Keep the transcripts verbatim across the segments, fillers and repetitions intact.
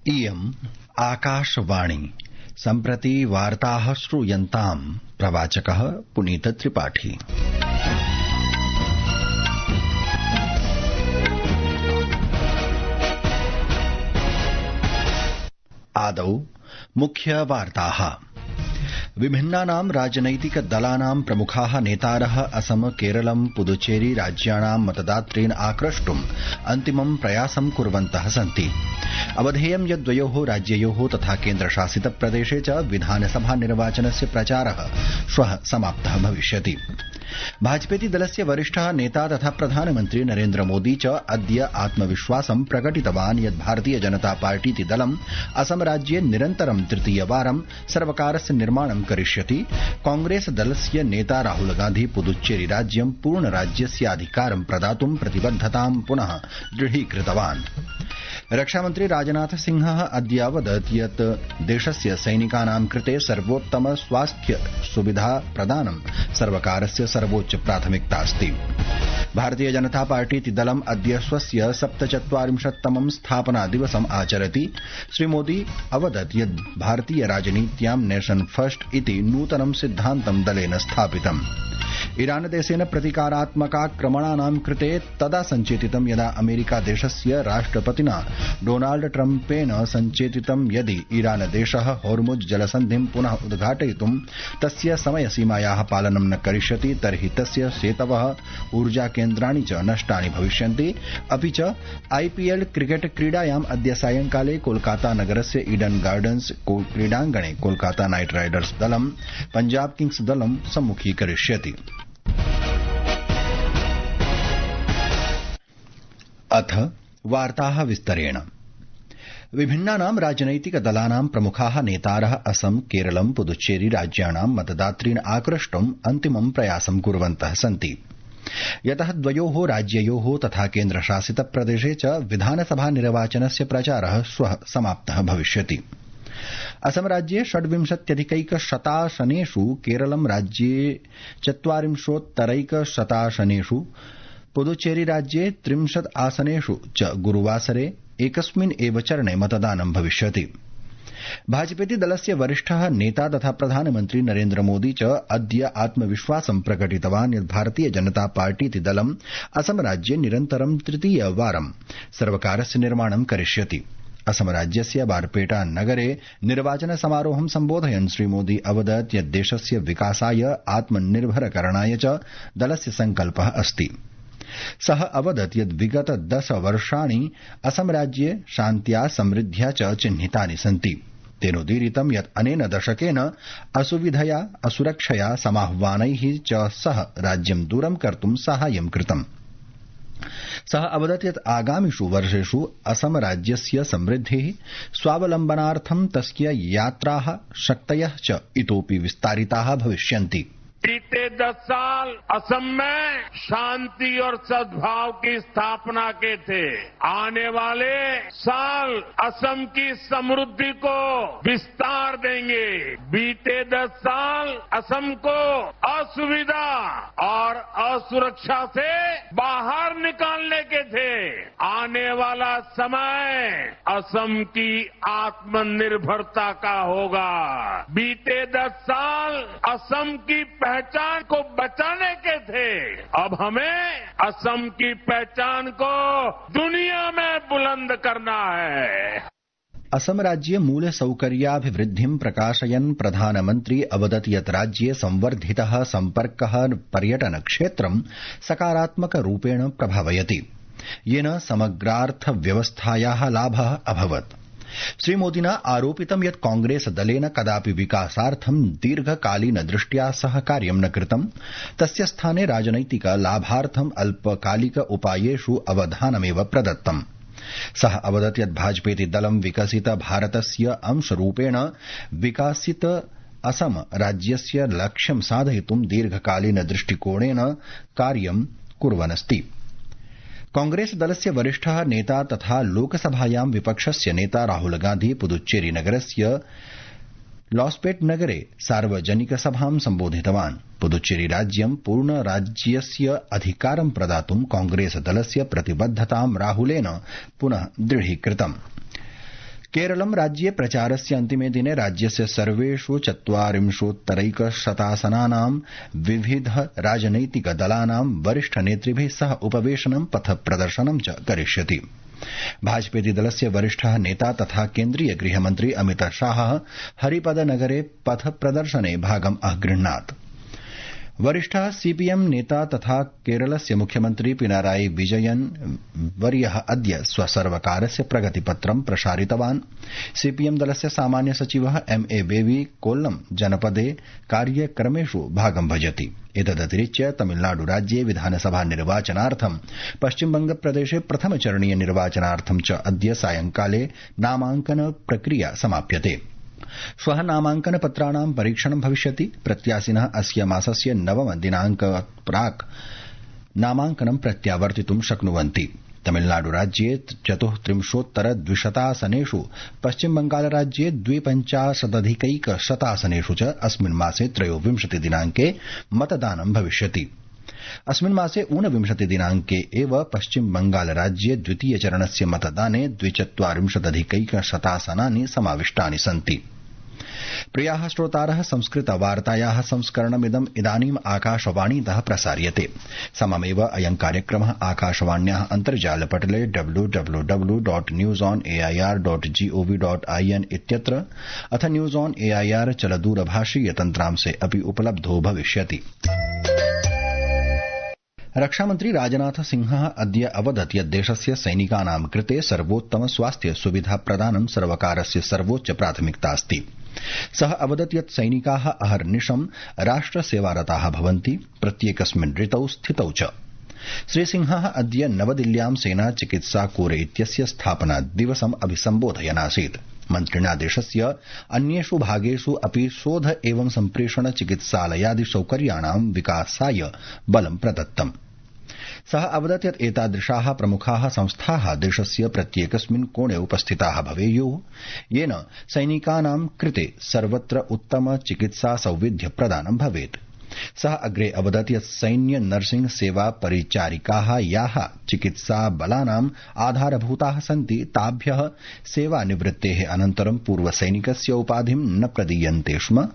इयम् आकाशवाणी सम्प्रति वार्ताः श्रूयन्ताम् प्रवाचकः पुनीत त्रिपाठी। आदौ मुख्य वार्ताः। विभिन्नानां राजनैतिक दलानां प्रमुखाः नेतारः असम केरलं पुदुचेरी राज्याणां मतदातॄन् आक्रष्टुम् अन्तिमं प्रयासं कुर्वन्तः सन्ति। अवधेयं यत् द्वयोः राज्ययोः तथा केन्द्रशासित प्रदेशे च विधानसभा निर्वाचनस्य प्रचारः श्वः समाप्तः भविष्यति। भाजपेति दलस्य वरिष्ठः नेता तथा प्रधानमन्त्री नरेन्द्र मोदी च अद्य आत्मविश्वासं प्रकटितवान् यत् भारतीय जनता पार्टीति दलम् असम राज्ये निरन्तरं तृतीयवारं सर्वकारस्य निर्माणं करिष्यति। कांग्रेस दलस्य नेता राहुल गांधी पुदुच्चेरी राज्यं पूर्णराज्यस्याधिकारं प्रदातुं प्रतिबद्धतां पुनः दृढीकृतवान्। रक्षामन्त्री राजनाथ सिंहः अद्य अवदत् यत् देशस्य सैनिकानां कृते सर्वोत्तम स्वास्थ्य सुविधा प्रदानं सर्वकारस्य सर्वोच्च प्राथमिकतास्ति। भारतीय जनता पार्टीति दलम् अद्य स्वस्य सप्तचत्वारिंशत्तमं स्थापना दिवसम् आचरति। श्रीमोदी अवदत् यत् भारतीय राजनीत्यां नेशन फर्स्ट इति नूतनं सिद्धान्तं दलेन स्थापितम्। ईरान देशेन प्रतीकारात्मकाक्रमणानां कृते तदा सञ्चेतितं यदा अमेरिका देशस्य राष्ट्रपतिना डोनाल्ड ट्रम्पेन सञ्चेतितं यदि ईरान देशः होर्मुज जलसन्धिं पुनः उद्घाटयितुं तस्य समयसीमायाः पालनं न करिष्यति तर्हि तस्य सेतवः ऊर्जाकेन्द्राणि च नष्टानि भविष्यन्ति। अपि च आईपीएल क्रिकेट क्रीडायाम् अद्य सायंकाले कोलकाता नगरस्य ईडन गार्डन्स क्रीडाङ्गणे कोलकाता नाइट राइडर्स दलं पंजाब किंग्स दलं सम्मुखीकरिष्यति। अथ वार्ताः विस्तरेण। विभिन्नानां राजनैतिक दलानां प्रमुखाः नेतारः असम केरलं पुदुच्चेरी राज्याणां मतदातॄन् आक्रष्टुम् अन्तिमं प्रयासं कुर्वन्तः सन्ति। यतः द्वयोः राज्ययोः तथा केन्द्रशासित प्रदेशे च विधानसभा निर्वाचनस्य प्रचारः श्वः समाप्तः भविष्यति। असम राज्ये षड्विंशत्यधिकैकशतासनेषु, केरलं राज्ये चत्वारिंशोत्तरैकशतासनेषु, पुदुच्चेरी राज्ये त्रिंशत् आसनेषु च गुरुवासरे एकस्मिन् एव चरणे मतदानं भविष्यति। भाजपेति दलस्य वरिष्ठः नेता तथा प्रधानमन्त्री नरेन्द्र मोदी च अद्य आत्मविश्वासं प्रकटितवान् यत् भारतीय जनता पार्टीति दलम् असम राज्ये निरन्तरं तृतीयवारं सर्वकारस्य निर्माणं करिष्यति। असम राज्यस्य बारपेटा नगरे निर्वाचन समारोहं सम्बोधयन् श्रीमोदी अवदत् यत् देशस्य विकासाय आत्मनिर्भरकरणाय च दलस्य सङ्कल्पः अस्ति। सः अवदत् यत् विगत दश वर्षाणि असम राज्ये शान्त्या समृद्ध्या च चिह्नितानि सन्ति। तेनोदीरितं यत् अनेन दशकेन असुविधया असुरक्षया समाह्वानैः च सह राज्यं दूरं कर्तुं साहाय्यं कृतम्। सः अवदत् यत् आगामिषु वर्षेषु असम राज्यस्य समृद्धिः स्वावलम्बनार्थं तस्य यात्राः शक्तयः च इतोपि विस्तारिताः भविष्यन्ति। बीते दस साल असम में शांति और सद्भाव की स्थापना के थे। आने वाले साल असम की समृद्धि को विस्तार देंगे। बीते दस साल असम को असुविधा और असुरक्षा से बाहर निकालने के थे। आने वाला समय असम की आत्मनिर्भरता का होगा। बीते दस साल असम की पहचान को बचाने के थे। अब हमें असम की पहचान को दुनिया में बुलंद करना है। असम राज्ये मूलसौकर्याभिवृद्धिं प्रकाशयन् प्रधानमन्त्री अवदत् यत् राज्ये संवर्धितः सम्पर्कः पर्यटन क्षेत्रं सकारात्मकरूपेण प्रभावयति, येन समग्रार्थव्यवस्थायाः लाभः अभवत्। श्रीमोदिना आरोपितं यत् कांग्रेस दलेन कदापि विकासार्थं दीर्घकालीनदृष्ट्या सह कार्यं न कृतं। तस्य स्थाने राजनैतिक लाभार्थं अल्पकालिक उपायेषु अवधानमेव प्रदत्तम्। सः अवदत् यत् भाजपेति दलं विकसित भारतस्य अंशरूपेण विकासित असम राज्यस्य लक्ष्यं साधयितुं दीर्घकालीन दृष्टिकोणेन कार्यं कुर्वन्नस्ति। कांग्रेस दलस्य वरिष्ठः नेता तथा लोकसभायां विपक्षस्य नेता राहुल गांधी पुदुच्चेरी नगरस्य लॉस्पेट नगरे सार्वजनिक सभां सम्बोधितवान्। पुदुच्चेरी राज्यं पूर्ण राज्यस्य अधिकारं प्रदातुं कांग्रेस दलस्य प्रतिबद्धतां राहुलेन पुनः दृढीकृतम्। केरलं राज्ये प्रचारस्य अन्तिमे दिने राज्यस्य सर्वेषु चत्वारिंशोत्तरैकशतासनानां विविध राजनैतिक दलानां वरिष्ठ नेतृभिः सह उपवेशनं पथ प्रदर्शनं च करिष्यति। भाजपेति दलस्य वरिष्ठः नेता तथा केन्द्रीय गृहमन्त्री अमित शाहः हरिपदनगरे पथ प्रदर्शने भागम् अगृह्णात्। वरिष्ठः सीपीएम नेता तथा केरलस्य मुख्यमन्त्री पिनाराई विजयन वर्यः अद्य स्वसर्वकारस्य प्रगतिपत्रं प्रसारितवान्। सीपीएम दलस्य सामान्य सचिवः एम ए बेबी कोल्लम जनपदे कार्यक्रमेषु भागं भजति। एतदतिरिच्य तमिलनाडु राज्ये विधानसभा निर्वाचनार्थं पश्चिमबंगप्रदेशे प्रथमचरणीय निर्वाचनार्थं च अद्य सायंकाले नामांकन प्रक्रिया समाप्यते। श्वः नामांकन पत्राणां परीक्षणं भविष्यति। प्रत्याशिनः अस्य मासस्य नवम दिनांकात् प्राक् नामांकनं प्रत्यावर्तितुं शक्नुवन्ति। तमिलनाडु राज्ये चतुस्त्रिंशोत्तर द्विशतासनेषु पश्चिमबंगालराज्ये द्विपञ्चाशदधिकैकशतासनेषु च अस्मिन् मासे त्रयोविंशति दिनांके मतदानं भविष्यति। अस्मिन् मासे ऊनविंशति दिनांके एव पश्चिमबंगालराज्ये द्वितीय चरणस्य मतदाने द्विचत्वारिंशदधिकैकशतासनानि समाविष्टानि सन्ति। प्रियाः श्रोतारः, संस्कृतवार्तायाः संस्करणमिदम् इदानीम् आकाशवाणीतः प्रसार्यते। सममेव अयं कार्यक्रमः आकाशवाण्याः अन्तर्जालपटले W W W dot news on A I R dot G O V dot I N इत्यत्र अथ न्यूज ऑन एआईआर चलदूरभाषीय तन्त्रांशे अपि उपलब्धो भविष्यति। रक्षामन्त्री राजनाथ सिंहः अद्य अवदत् यत् देशस्य सैनिकानां कृते सर्वोत्तम स्वास्थ्य सुविधा प्रदानं सर्वकारस्य सर्वोच्च प्राथमिकता अस्ति। सः अवदत् यत् सैनिकाः अहर्निशं राष्ट्रसेवारताः भवन्ति, प्रत्येकस्मिन् ऋतौ स्थितौ च। श्रीसिंहः अद्य नवदिल्ल्यां सेना चिकित्सा कोर इत्यस्य स्थापना दिवसम् अभिसम्बोधयन् आसीत्। मन्त्रिणा देशस्य अन्येषु भागेषु अपि शोध एवं सम्प्रेषण चिकित्सालयादि सौकर्याणां विकासाय बलं प्रदत्तम्। सः अवदत् यत् एतादृशाः प्रमुखाः संस्थाः देशस्य प्रत्येकस्मिन् कोणे उपस्थिताः भवेयुः, येन सैनिकानां कृते सर्वत्र उत्तम चिकित्सा सौविध्य प्रदानं भवेत्। सः अग्रे अवदत् यत् सैन्य नर्सिंग सेवा परिचारिकाः याः चिकित्सा बलानाम् आधारभूताः सन्ति ताभ्यः सेवानिवृत्तेः अनन्तरं पूर्वसैनिकस्य उपाधिं न प्रदीयन्ते स्म।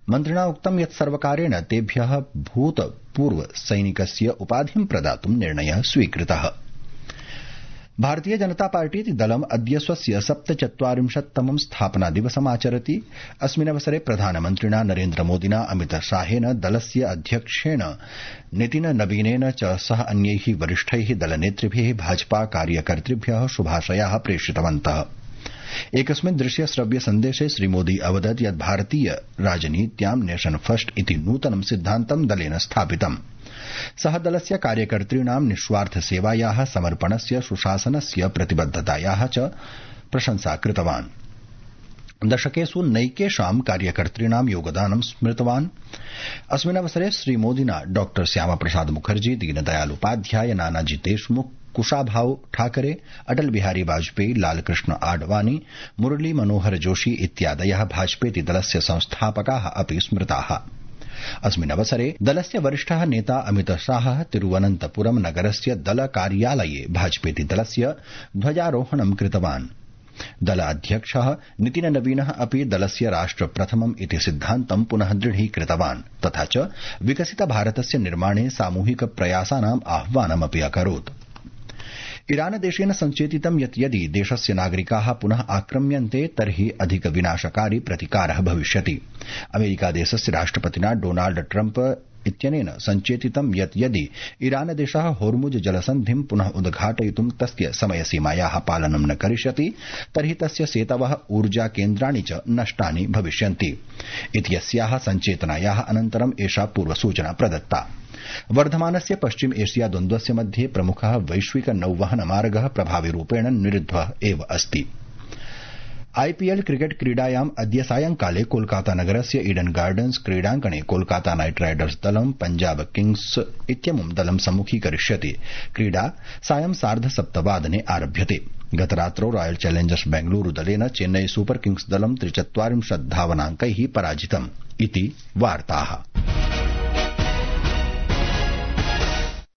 मन्त्रिणा उक्तं यत् सर्वकारेण तेभ्यः भूतपूर्व सैनिकस्य उपाधिं प्रदातुं निर्णयः स्वीकृतः। भारतीय जनता पार्टी दलम् अद्य स्वस्य सप्तचत्वारिंशत्तमं स्थापना दिवसमाचरति। अस्मिन्नवसरे प्रधानमन्त्रिणा नरेन्द्र मोदिना अमित शाहेन दलस्य अध्यक्षेण नितिन नवीनेन च सह अन्यैः वरिष्ठैः दलनेतृभिः भाजपा कार्यकर्तृभ्यः शुभाशयाः प्रेषितवन्तः। एकस्मिन् दृश्य श्रव्य सन्देशे श्रीमोदी अवदत् यत् भारतीय राजनीत्यां नेशन फर्स्ट इति नूतनं सिद्धान्तं दलेन स्थापितम्। सः दलस्य कार्यकर्तॄणां निःस्वार्थ सेवायाः, समर्पणस्य, सुशासनस्य, प्रतिबद्धतायाः च प्रशंसा कृतवान्। दशकेषु नैकेषां कार्यकर्तॄणां योगदानं स्मृतवान्। अस्मिन्नवसरे श्रीमोदिना डॉ श्यामाप्रसाद मुखर्जी, दीनदयाल उपाध्याय, नानाजी देशमुख, कुशाभाऊ ठाकरे, अटल बिहारी वाजपेयी, लालकृष्ण आडवाणी, मुरली मनोहर जोशी इत्यादयः भाजपेति दलस्य संस्थापकाः अपि स्मृताः। अस्मिन् अवसरे दलस्य वरिष्ठः नेता अमित शाहः तिरुवनन्तपुरम नगरस्य दल कार्यालये भाजपेति दलस्य ध्वजारोहणं कृतवान्। दलाध्यक्षः नितिन नवीनः अपि दलस्य राष्ट्र प्रथमम् इति सिद्धान्तं पुनः दृढीकृतवान् तथा च विकसित भारतस्य निर्माणे सामूहिक प्रयासानाम् आह्वानमपि अकरोत्। ईरान देशेन सञ्चेतितं यत् यदि देशस्य नागरिकाः पुनः आक्रम्यन्ते तर्हि अधिक विनाशकारी प्रतिकारः भविष्यति। अमेरिकादेशस्य राष्ट्रपतिना डोनाल्ड ट्रम्प इत्यनेन सञ्चेतितं यत् यदि ईरान देशः होर्मुज जलसन्धिं पुनः उद्घाटयितुं तस्य समयसीमायाः पालनं न करिष्यति तर्हि तस्य सेतवः ऊर्जा केन्द्राणि च नष्टानि भविष्यन्ति इत्यस्याः सञ्चेतनायाः अनन्तरम् एषा पूर्वसूचना प्रदत्ता। वर्धमानस्य पश्चिम एशिया द्वन्द्वस्य मध्ये प्रमुखः वैश्विक नौवहन मार्गः प्रभाविरूपेण निरुद्धः एव अस्ति। आईपीएल क्रिकेट क्रीडायाम् अद्य सायंकाले कोलकाता नगरस्य ईडन गार्डन्स क्रीडाङ्गणे कोलकाता नाइट राइडर्स दलं पंजाब किंग्स इत्यमुं दलं सम्मुखीकरिष्यति। क्रीडा सायं सार्ध सप्तवादने आरभ्यते। गतरात्रौ रॉयल चैलेंजर्स बेंगलुरू दलेन चेन्नई सुपर किंग्स दलं त्रिचत्वारिंशत् धावनाङ्कैः पराजितम् इति वार्ताः।